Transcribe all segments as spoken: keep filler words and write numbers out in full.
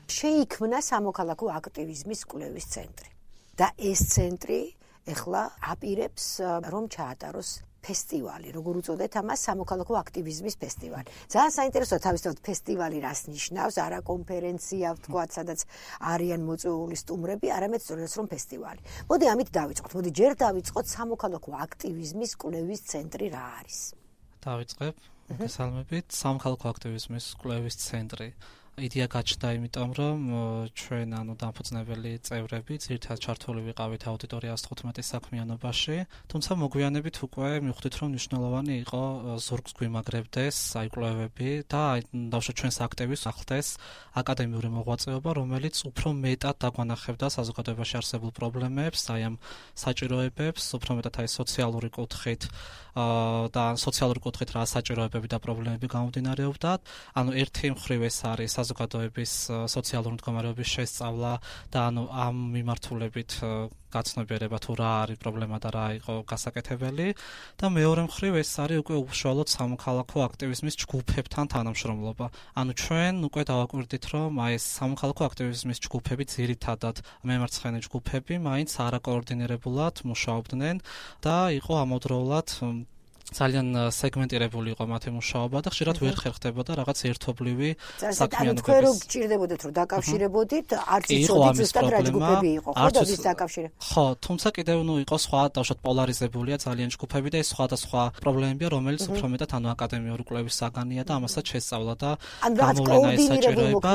შეიქმნა სამოქალაქო აქტივიზმის კვლევის ცენტრი. და ეს ცენტრი ეხლა აპირებს რომ ჩაატაროს ფესტივალი, როგორ უწოდეთ ამას, სამოქალაქო აქტივიზმის ფესტივალი. ძალიან საინტერესოა თავისთავად ფესტივალი რას ნიშნავს, არა კონფერენცია, ვთქვათ, სადაც არიან მოწვეული სტუმრები, არამედ სწორედ რომ ფესტივალი. მოდი ამით დავიწყოთ. მოდი ჯერ დავიწყოთ სამოქალაქო აქტივიზმის კვლევის ცენტრი რა არის. დავიწყებ. მოგესალმებით. სამოქალაქო აქტივიზმის კვლევის ცენტრი. იდეა გაჩნდა იმიტომ, რომ ჩვენ ანუ დამფუძნებელი წევრები ძირითადად ჩართული ვიყავით აუდიტორია ათოთხმეტის საქმიანობაში, თუმცა მოგვიანებით უკვე მივხვდით, რომ მნიშვნელოვანი იყო ზურგს გვიმაგრებდეს აი კვლევები და აი დავუშვათ ჩვენს აქტივს ახლდეს აკადემიური მოღვაწეობა, რომელიც უფრო მეტად დაგვანახებდა საზოგადოებაში არსებულ პრობლემებს, აი ამ საჭიროებებს, უფრო მეტად აი სოციალური კუთხით და სოციალური კუთხით რა საჭიროებები და პრობლემები გამომდინარეობდა. ანუ ერთი მხრივ ეს არის საზოგადოების სოციალური მდგომარეობის შესწავლა და ანუ ამ მიმართულებით გაცნობიერება თუ რა არის პრობლემა და რა იყო გასაკეთებელი და მეორე მხრივ ეს არის უკვე უშუალოდ სამოქალაქო აქტივიზმის ჯგუფებთან თანამშრომლობა. ანუ ჩვენ უკვე დავაკვირდით, რომ აი ეს სამოქალაქო აქტივიზმის ჯგუფები ძირითადად მემარცხენე ჯგუფები მაინც არაკოორდინირებულად მუშაობდნენ და იყო ამავდროულად ძალიან სეგმენტირებული იყო მათი მუშაობა და ხშირად ვერ ხერხდებოდა რაღაც ერთობლივი საქმიანობების. თქვენ რო გჭირდებოდეთ რომ დაკავშირებოდით, არც იცოდით ზუსტად რა ჯგუფები იყო, ხო და ვის დაკავშირებთ? ხო, თუმცა კიდევ ნუ იყო სხვა დავუშვათ პოლარიზებულია ძალიან ჯგუფები და ეს სხვადასხვა პრობლემებია, რომელიც უფრო მეტად ანუ აკადემიური კვლევის საგანია და ამასაც შესწავლა და გამოვლენა ეს საჭიროება.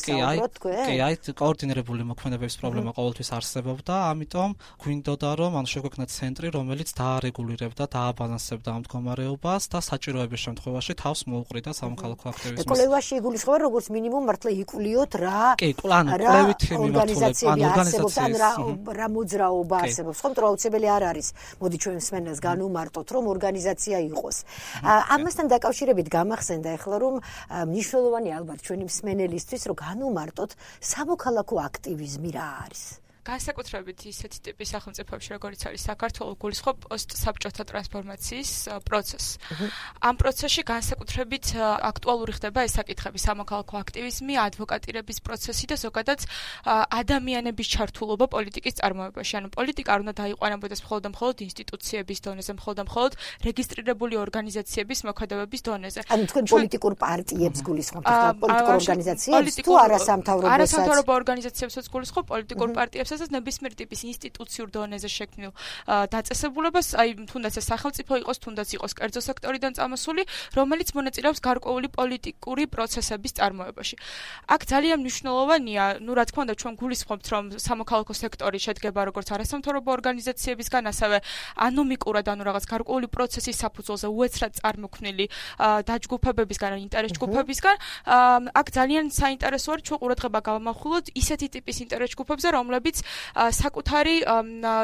კი, აი, კი, აი, კოორდინირებული მოქმედებების პრობლემა ყოველთვის არსებობდა, ამიტომ გვინდოდა რომ ანუ შეგვექნა ცენტრი, რომელიც დაარეგულირებდა, დააბალანსებდა ამ მდგომარეობას და საჭიროების შემთხვევაში თავს მოუყრიდა სამოქალაქო აქტივიზმის. კვლევაში იგულისხმება როგორც მინიმუმ მართლა იკულიოთ რა კვლევით მიმართულებით ან ორგანიზაციები რა მოძრაობა არსებობს. ხომ თუ აუცილებელი არ არის. მოდი ჩვენ მსმენელს განვმარტოთ რომ ორგანიზაცია იყოს. ამასთან დაკავშირებით გამახსენდა ახლა რომ მნიშვნელოვანი ალბათ ჩვენი მსმენელისთვის რომ განვმარტოთ სამოქალაქო აქტივიზმი რა არის. განსაკუთრებით ისეთი ტიპის სახელმწიფოებში, როგორც არის საქართველო, გულისხმობ პოსტსაბჭოთა ტრანსფორმაციის პროცესს. ამ პროცესში განსაკუთრებით აქტუალური ხდება ეს საკითხები, სამოქალაქო აქტივიზმი, ადვოკატირების პროცესი და ზოგადად ადამიანების ჩართულობა პოლიტიკის წარმოებაში. ანუ პოლიტიკა არ უნდა დაიყვანებოდეს მხოლოდ და მხოლოდ ინსტიტუციების დონეზე, მხოლოდ და მხოლოდ რეგისტრირებული ორგანიზაციების მოქმედების დონეზე. ანუ თქვენ პოლიტიკურ პარტიებს გულისხმობთ, პოლიტიკურ ორგანიზაციებს თუ არასამთავრობო არასამთავრობო ორგანიზაციებსაც გულისხმობ, პოლიტიკურ პარტიებს ეს ნებისმიერ ტიპის ინსტიტუციურ დონეზე შექმნილ დაწესებულებას, აი თუნდაც ეს სახელმწიფო იყოს, თუნდაც იყოს კერძო სექტორიდან წამოსული, რომელიც მონაწილეობს გარკვეული პოლიტიკური პროცესების წარმოებაში. აქ ძალიან მნიშვნელოვანია, ну რა თქმა უნდა, ჩვენ გულისხმობთ, რომ სამოქალაქო სექტორი შედგება როგორც არასამთავრობო ორგანიზაციებისგან, ასევე ანომიკურად, ანუ რაღაც გარკვეული პროცესის საფუძველზე უეცრად წარმოქმნილი დაჯგუფებებისგან, ინტერეს ჯგუფებისგან. აქ ძალიან საინტერესოა, ჩვენ ყურადღება გავამახვილოთ ისეთი ტიპის ინტერეს ჯგუფებზე, რომლებიც საკუთარი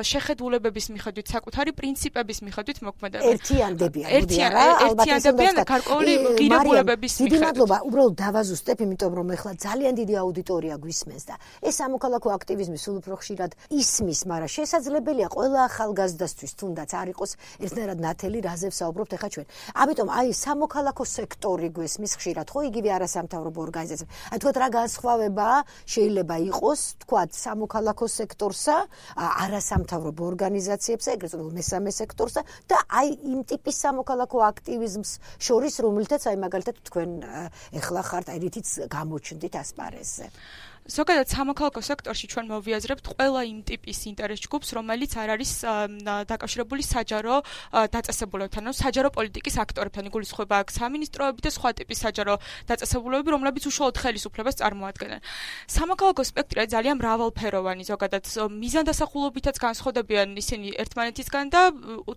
შეხედულებების მიხედვით, საკუთარი პრინციპების მიხედვით მოქმედებენ. ერთიანდებიან, ერთიანდებიან გარკვეული ღირებულებების მიხედვით. დიდი მადლობა, უბრალოდ დავაზუსტებ, იმიტომ რომ ეხლა ძალიან დიდი აუდიტორია გვისმენს და ეს სამოქალაქო აქტივიზმი სულ უფრო ხშირად ისმის, მაგრამ შესაძლებელია ყველა ახალგაზრდასთვის თუნდაც არ იყოს ერთნაირად ნათელი, რაზე ვსაუბრობთ ეხლა ჩვენ. ამიტომ აი სამოქალაქო სექტორი გვესმის ხშირად, ხო, იგივე არასამთავრობო ორგანიზაციები. აი თქვათ რა განსხვავება შეიძლება იყოს, თქვათ სამოქალაქო სექტორსა, არასამთავრობო ორგანიზაციებსა, ეგრეთ წოდებული მესამე სექტორსა და აი იმ ტიპის სამოქალაქო აქტივიზმს შორის, რომელთაც აი მაგალითად თქვენ ეხლა ხართ აი რითიც გამოჩნდით ასპარეზზე. ზოგადად სამოქალაქო სექტორში ჩვენ მოვიაზრებთ ყველა იმ ტიპის ინტერეს ჯგუფს, რომელიც არ არის დაკავშირებული საჯარო დაწესებულებებთან, ანუ საჯარო პოლიტიკის აქტორებთან. იგულისხმება აქ სამინისტროები და სხვა ტიპის საჯარო დაწესებულებები, რომლებიც უშუალოდ ხელისუფლებას წარმოადგენენ. სამოქალაქო სპექტრი ძალიან მრავალფეროვანი, ზოგადად მიზანდასახულობითაც განსხვავდებიან ისინი ერთმანეთისგან და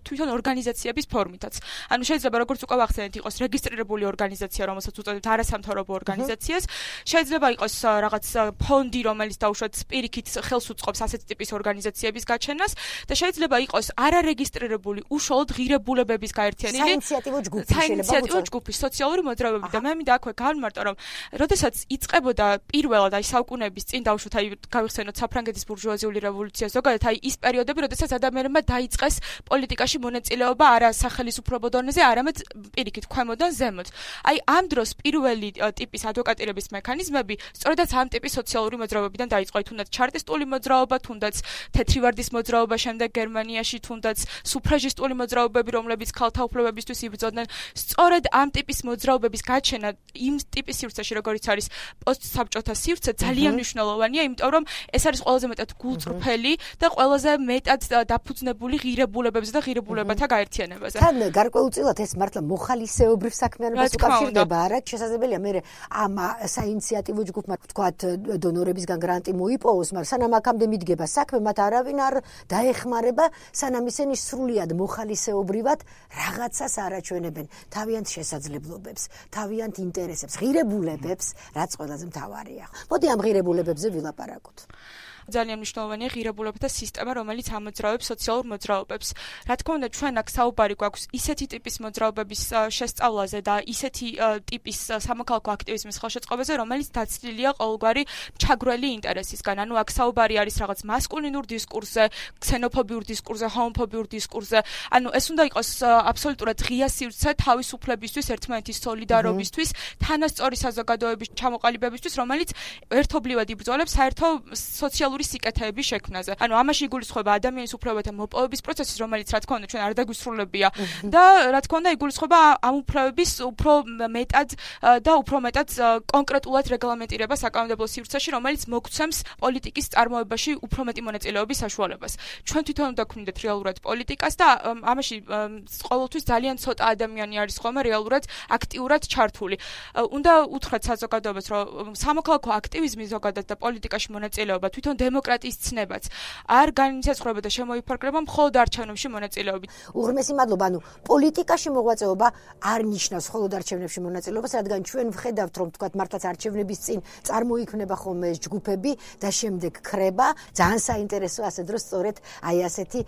თვითონ ორგანიზაციების ფორმითაც. ანუ შეიძლება როგორც უკვე ვახსენეთ, იყოს რეგისტრირებული ორგანიზაცია, რომელსაც უწოდებთ არასამთავრობო ორგანიზაციას, შეიძლება იყოს რაღაც ფონდი, რომელიც დაუშვათ პირიქით ხელს უწყობს ასეთი ტიპის ორგანიზაციების გაჩენას და შეიძლება იყოს არარეგისტრირებული უშუალოდ ღირებულებების გაერთიანებული საინიციატივო ჯგუფი, საინიციატივო ჯგუფი, სოციალური მოძრაობები და მე მინდა აქვე გავმარტო, რომ როდესაც იწყებოდა პირველად აი საუკუნეების წინ დაუშვათ აი გავიხსენოთ საფრანგეთის ბურჟუაზიული რევოლუცია, ზოგადად აი ის პერიოდები, როდესაც ადამიანებმა დაიწყეს პოლიტიკაში მონაწილეობა არა სახელისუფლებო დონეზე, არამედ პირიქით ქვემოდან ზემოთ. აი ამ დროს პირველი ტიპის ადვოკატირების მექანიზმები სწორედაც ამ ტიპის სოციალური მოძრაობებიდან დაიწყო, თუნდაც ჩარტისტული მოძრაობა, თუნდაც თეთრი ვარდის მოძრაობა, შემდეგ გერმანიაში თუნდაც სუფრაჟისტული მოძრაობები, რომლებიც ქალთა უფლებებისთვის იბრძოდნენ. სწორედ ამ ტიპის მოძრაობების გაჩენა იმ ტიპის სივრცეში, როგორიც არის პოსტსაბჭოთა სივრცე, ძალიან მნიშვნელოვანია, იმიტომ რომ ეს არის ყველაზე მეტად გულწრფელი და ყველაზე მეტად დაფუძნებული ღირებულებებზე და ღირებულებათა გაერთიანებაზე. თან გარკვეულწილად ეს მართლა მოხალისეობრივ საქმიანობას უკავშირდება, არა? შესაძლებელია მე ამ საინიციატივო ჯგუფმა ვთქვათ დონორებისგან გრანტი მოიპოვოს, მაგრამ სანამ აქამდე მიდგება საქმე, მათ არავინ არ დაეხმარება, სანამ ისინი სრულიად მოხალისეობრივად რაღაცას არაჩვენებენ თავიანთ შესაძლებლობებს, თავიანთ ინტერესებს, ღირებულებებს, რაც ყველაზე მთავარია. მოდი ამ ღირებულებებზე ვილაპარაკოთ. ძალიან მნიშვნელოვანია ღირებულებათა სისტემა, რომელიც ამოძრავებს სოციალურ მოძრაობებს. რა თქმა უნდა, ჩვენ აქ საუბარი გვაქვს ისეთი ტიპის მოძრაობების შესწავლაზე და ისეთი ტიპის სამოქალაქო აქტივიზმის ხელშეწყობაზე, რომელიც დაცლილია ყოველგვარი ჩაგვრელი ინტერესისგან. ანუ აქ საუბარი არის რაღაც მასკულინურ დისკურსზე, ქსენოფობიურ დისკურსზე, ჰომოფობიურ დისკურსზე. ანუ ეს უნდა იყოს აბსოლუტურად ღია სივრცე თავისუფლებისთვის, ერთმანეთის სოლიდარობისთვის, თანასწორი საზოგადოების ჩამოყალიბებისთვის, რომელიც ერთობლივად იბრძოლებს საერთო სოციალურ სიკეთეების შექმნაზე. ანუ ამაში იგულისხმება ადამიანის უფლებათა მოპოვების პროცესი, რომელიც რა თქმა უნდა ჩვენ არ დაგვისრულებია და რა თქმა უნდა იგულისხმება ამ უფლებების უფრო მეტად და უფრო მეტად კონკრეტულად რეგლამენტირება საკანონმდებლო სივრცეში, რომელიც მოგცემს პოლიტიკის წარმოებაში უფრო მეტი მონაწილეობის საშუალებას. ჩვენ თვითონ უნდა გვქნიდეთ რეალურად პოლიტიკას და ამაში ყოველთვის ძალიან ცოტა ადამიანი არის ხოლმე რეალურად აქტიურად ჩართული. უნდა უთხრათ საზოგადოებას, რომ სამოქალაქო აქტივიზმი ზოგადად და პოლიტიკაში მონაწილეობა თვითონ დემოკრატიის ცნებაც არ განისაზღვრება და შემოიფარგლება მხოლოდ არჩევნებში მონაწილეობით. უღრმესი მადლობა. ანუ პოლიტიკაში მოღვაწეობა არ ნიშნავს მხოლოდ არჩევნებში მონაწილეობას, რადგან ჩვენ ვხედავთ, რომ თქვათ მართლაც არჩევნების წინ წარმოიქმნება ხოლმე ეს ჯგუფები და შემდეგ ქრება. ძალიან საინტერესოა ასე დროს სწორედ აი ასეთი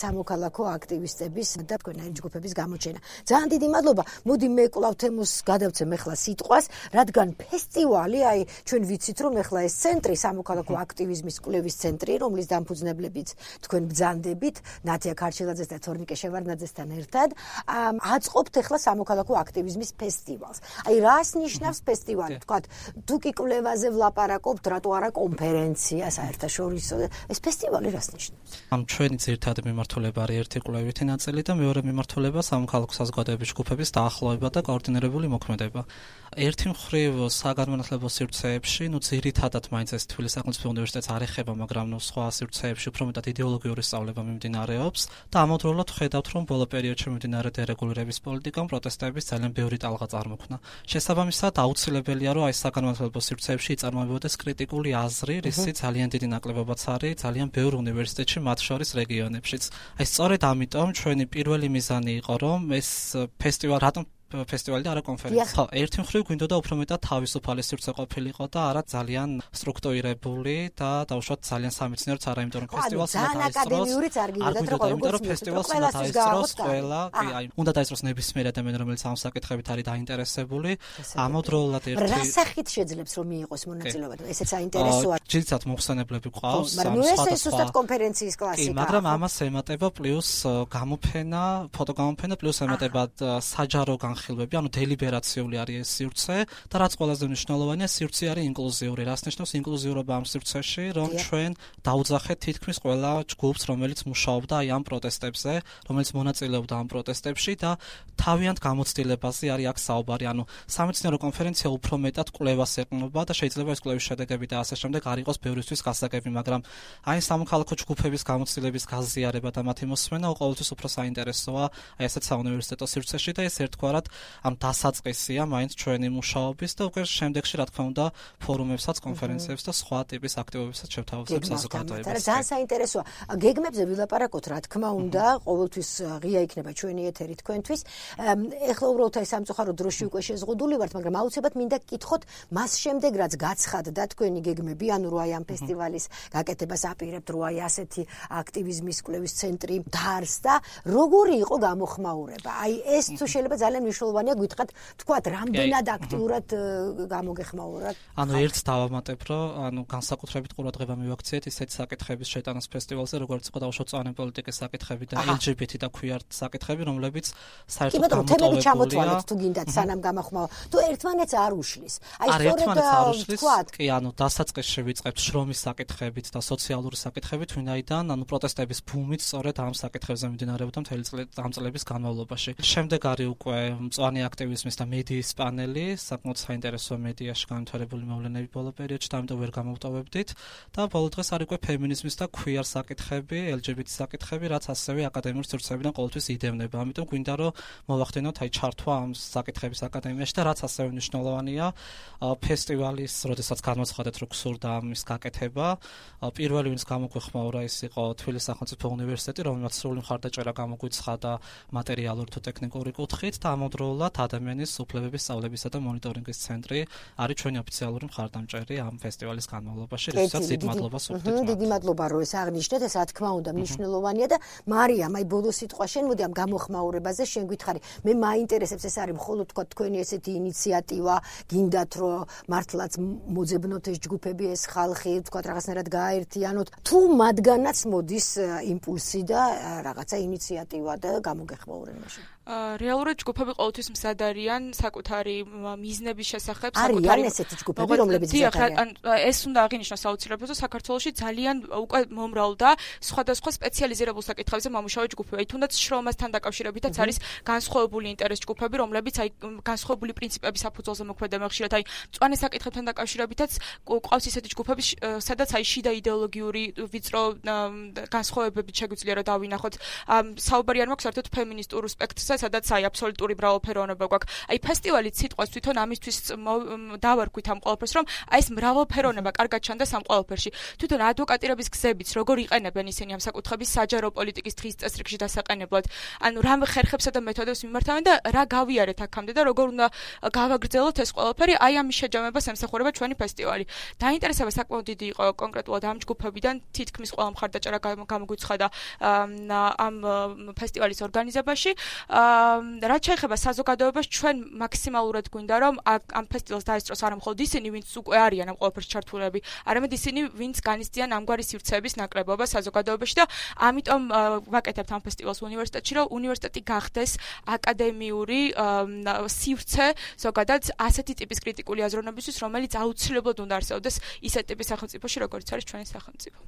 სამოქალაქო აქტივისტების და თქვენაირი ჯგუფების გამოჩენა. ძალიან დიდი მადლობა. მოდი მე კვლავ თემოს გადავცემ ახლა სიტყვას, რადგან ფესტივალი, აი ჩვენ ვიცით, რომ ახლა ეს ცენტრი სამოქალაქო აქტივიზმის კვლევის ცენტრი, რომლის დამფუძნებლებიც თქვენ ბრძანდებით, ნათია ქარჩილაძეს და თორნიკე შევარდნაძესთან ერთად, აწყობთ ახლა სამოქალაქო აქტივიზმის ფესტივალს. აი რას ნიშნავს ფესტივალი? თქვათ, თუ კი კვლევაზე ვლაპარაკობთ, რატო არა კონფერენცია საერთაშორისო? ეს ფესტივალი რას ნიშნავს? ამ ჩვენი ძირითადი მიმართულება არის ერთი კვლევითი ნაწილი და მეორე მიმართულება სამოქალაქო საზოგადოების ჯგუფების დაახლოება და კოორდინირებული მოქმედება. ერთი მხრივ საგანმანათლებლო სივრცეებში, ნუ ძირითადად მაინც ეს თბილისის სახელმწიფო უნივერსიტეტს არ ეხება, მაგრამ ნუ სხვა სივრცეებში უფრო მეტად იდეოლოგიური სწავლება მიმდინარეობს და ამავდროულად ხედავთ, რომ ბოლო პერიოდში მიმდინარე დერეგულირების პოლიტიკამ პროტესტების ძალიან ბევრი ტალღა წარმოქმნა. შესაბამისად, აუცილებელია, რომ აი საგანმანათლებლო სივრცეებში იწარმოებოდეს კრიტიკული აზრი, რისი ძალიან დიდი ნაკლებობაც არის ძალიან ბევრ უნივერსიტეტში, მათ შორის რეგიონებშიც. აი სწორედ ამიტომ ჩვენი პირველი მიზანი იყო, რომ ეს ფესტივალი რატომ ფესტივალი და არა კონფერენცია. ხო, ერთი მხრივ გვინდოდა უფრო მეტად თავისუფალი სივრცე ყოფილიყო და არა ძალიან სტრუქტურირებული და დაუშვათ ძალიან სამეცნიეროც არა, იმიტომ რომ ფესტივალს უნდა აკადემიურიც არ გინდათ რომ იმიტომ რომ ფესტივალს უნდა დაესწროს ყველა, კი, აი, უნდა დაესწროს ნებისმიერ ადამიანი, რომელიც ამ საკითხებით არის დაინტერესებული. ამავდროულად ერთი რა სახით შეძლებს რომ მიიღოს მონაწილეობა? ესეც საინტერესოა. ჯილდსად მოხსენებლები ყავს, მაგრამ ნუ ეს ზუსტად კონფერენციის კლასიკა. კი, მაგრამ ამას ემატება პლუს გამოფენა, ფოტოგამოფენა პლუს ემატება საჯარო განხილვები, ანუ დელიბერაციული არის ეს სივრცე და რაც ყველაზე მნიშვნელოვანია, სივრცე არის ინკლუზიური. რას ნიშნავს ინკლუზიურობა ამ სივრცეში, რომ ჩვენ დაუძახეთ თითქმის ყველა ჯგუფს, რომელიც მუშაობდა აი ამ პროტესტებზე, რომელიც მონაწილეობდა ამ პროტესტებში და თავიანთ გამოცდილებაზე არის აქ საუბარი. ანუ სამეცნიერო კონფერენცია უფრო მეტად კვლევას ეყრდნობა და შეიძლება ეს კვლევის შედეგები და ასე შემდეგ არ იყოს ბევრისთვის გასაგები, მაგრამ აი სამოქალაქო ჯგუფების გამოცდილების გაზიარება და მათი მოსმენა ყოველთვის უფრო საინტერესოა აი ასეთ საუნივერსიტეტო სივრცეში და ეს ერთგვარად ამ დასაწყისია მაინც ჩვენი მუშაობის და უკვე შემდეგში რა თქმა უნდა ფორუმებსაც, კონფერენციებს და სხვა ტიპის აქტივობებსაც შევთავაზებს საზოგადოებას. ძალიან საინტერესოა. გეგმებზე ვილაპარაკოთ, რა თქმა უნდა, ყოველთვის ღია იქნება ჩვენი ეთერი თქვენთვის. ეხლა უბრალოდ აი სამწუხაროდ დროში უკვე შეზღუდული ვართ, მაგრამ აუცილებლად მინდა გკითხოთ მას შემდეგ რაც გაცხადდა თქვენი გეგმები, ანუ რო აი ამ ფესტივალის გაკეთებას აპირებთ, რო აი ასეთი აქტივიზმის კვლევის ცენტრი დაარსდა, როგორი იყო გამოხმაურება? აი ეს თუ შეიძლება ძალიან მნიშვნელოვანია გითხრათ თქვათ რამდენად აქტიურად გამოგეხმაურათ. ანუ ერთს დავამატებ, რომ ანუ განსაკუთრებით ყურადღება მივაქციეთ ისეთ საკითხების შეტანას ფესტივალზე, როგორც იყო დაუშვათ წვანე პოლიტიკის საკითხები და ელ ჯი ბი ტი და queer საკითხები, რომლებიც საერთოდ გამოტოვებულია. ჩამოთვალეთ თუ გინდათ სანამ გამახმავა. თუ ერთმანეთს არ უშლის. აი სწორედ თქვათ, კი, ანუ დასაწყისში ვიწყებთ შრომის საკითხებით და სოციალური საკითხებით, ვინაიდან ანუ პროტესტების ბუმით სწორედ ამ საკითხებზე მიმდინარეობდა მთელი ამ წლების განმავლობაში. შემდეგ არის უკვე მწვანე აქტივიზმის და მედიის პანელი, საკმაოდ საინტერესო მედიაში განვითარებული მოვლენები ბოლო პერიოდში, და ამიტომ ვერ გამოვტოვებდით და ბოლო დღეს არის უკვე ფემინიზმის და queer საკითხები, ელ ჯი ბი ტი საკითხები, რაც ასევე აკადემიური სივრცეებიდან ყოველთვის იდევნება. ამიტომ გვინდა რომ მოვახდინოთ აი ჩართვა ამ საკითხების აკადემიაში და რაც ასევე მნიშვნელოვანია, ფესტივალის, როდესაც გამოცხადეთ რომ გსურდა ამის გაკეთება, პირველი ვინც გამოგვეხმაურა ის იყო თბილისის სახელმწიფო უნივერსიტეტი, რომელმაც სრული მხარდაჭერა გამოგვიცხადა მატერიალური თუ ტექნიკური კუთხით და ამავდროულად ადამიანის უფლებების სწავლებისა და მონიტორინგის ცენტრი არის ჩვენი ოფიციალური მხარდამჭერი ამ ფესტივალის განმავლობაში, რისთვისაც დიდ მადლობას ვუხდით. დიდი მადლობა რომ ეს აღნიშნეთ, ეს რა თქმა უნდა მნიშვნელოვანია და მარიამ, აი ბოლო სიტყვა შენ, მოდი ამ გამოხმაურებაზე შენ გითხარი. მე მაინტერესებს ეს არის მხოლოდ თქვა თქვენი ესეთი ინიციატივა, გინდათ რომ მართლაც მოძებნოთ ეს ჯგუფები, ეს ხალხი, თქვა რაღაცნაირად გააერთიანოთ, თუ მათგანაც მოდის იმპულსი და რაღაცა ინიციატივა და გამოგეხმაურებაში. რეალურად ჯგუფები ყოველთვის მზად არიან საკუთარი მიზნების შესახებ, საკუთარი არიან ესეთი ჯგუფები, რომლებიც მზად არიან. ეს უნდა აღინიშნოს აუცილებლად, რომ საქართველოში ძალიან უკვე მომრავლდა სხვადასხვა სპეციალიზირებულ საკითხებზე მომუშავე ჯგუფები. თუნდაც შრომასთან დაკავშირებითაც არის განსხვავებული ინტერეს ჯგუფები, რომლებიც აი განსხვავებული პრინციპების საფუძველზე მოქმედებენ. ხშირად აი მწვანე საკითხებთან დაკავშირებითაც ყავს ისეთი ჯგუფები, სადაც აი შიდა იდეოლოგიური ვიწრო განსხვავებებით შეგვიძლია რომ დავინახოთ. საუბარი არ მაქვს საერთოდ ფემინისტურ სპექტრზე, სადაც აი აბსოლუტური მრავალფეროვნება გვაქვს. აი ფესტივალის სიტყვას თვითონ ამისთვის დავარქვით ამ ყველაფერს, რომ აი ეს მრავალფეროვნება კარგად ჩანდეს ამ ყველაფერში. თვითონ ადვოკატირების გზებიც როგორ იყენებენ ისინი ამ საკითხების საჯარო პოლიტიკის დღის წესრიგში დასაყენებლად. ანუ რა ხერხებსა და მეთოდებს მიმართავენ და რა გავიარეთ აქამდე და როგორ უნდა გავაგრძელოთ ეს ყველაფერი, აი ამის შეჯამებას ემსახურება ჩვენი ფესტივალი. დაინტერესება საკმაოდ დიდი იყო კონკრეტულად ამ ჯგუფებიდან, თითქმის ყველა მხარდაჭერა გამოგვიცხადა ამ ფესტივალის ორგანიზებაში. რაც შეეხება საზოგადოებას, ჩვენ მაქსიმალურად გვინდა რომ ამ ფესტივალს დაესწროს არა მხოლოდ ისინი, ვინც უკვე არიან ამ ყველაფერში ჩართულები, არამედ ისინი, ვინც განიცდიან ამგვარი სივრცეების ნაკლებობა საზოგადოებაში და ამიტომ ვაკეთებთ ამ ფესტივალს უნივერსიტეტში, რომ უნივერსიტეტი გახდეს აკადემიური სივრცე ზოგადად ასეთი ტიპის კრიტიკული აზროვნებისთვის, რომელიც აუცილებლად უნდა არსებობდეს ისეთ ტიპის სახელმწიფოში, როგორც არის ჩვენი სახელმწიფო.